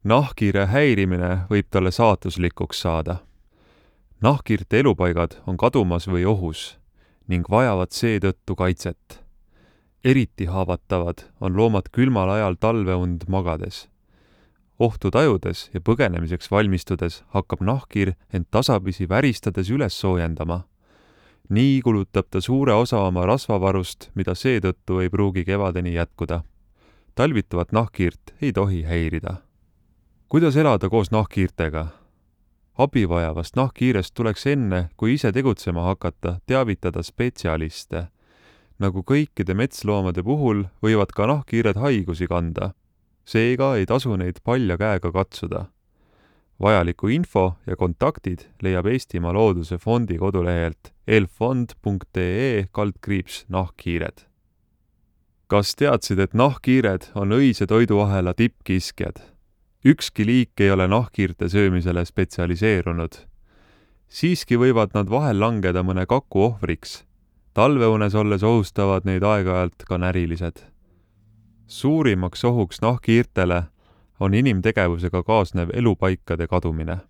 Nahkhiire häirimine võib talle saatuslikuks saada. Nahkhiirte elupaigad on kadumas või ohus ning vajavad seetõttu kaitset. Eriti haavatavad on loomad külmal ajal talveund magades. Ohtu tajudes ja põgenemiseks valmistudes hakkab nahkhiir end tasapisi väristades üles soojendama. Nii kulutab ta suure osa oma rasvavarust, mida seetõttu ei pruugi kevadeni jätkuda. Talvituvat nahkhiirt ei tohi häirida. Kuidas elada koos nahkhiirtega? Abi vajavast nahkhiirest tuleks enne, kui ise tegutsema hakata, teavitada spetsialiste. Nagu kõikide metsloomade puhul võivad ka nahkhiired haigusi kanda. Seega ei tasu neid palja käega katsuda. Vajaliku info ja kontaktid leiab Eestimaa Looduse Fondi kodulehelt elfond.ee/nahkhiired. Kas teadsid, et nahkhiired on õise toiduahela tippkiskjad? Ükski liik ei ole nahkhiirte söömisele spetsialiseerunud. Siiski võivad nad vahel langeda mõne kaku ohvriks. Talveunes olles ohustavad neid aeg-ajalt ka närilised. Suurimaks ohuks nahkhiirtele on inimtegevusega kaasnev elupaikade kadumine.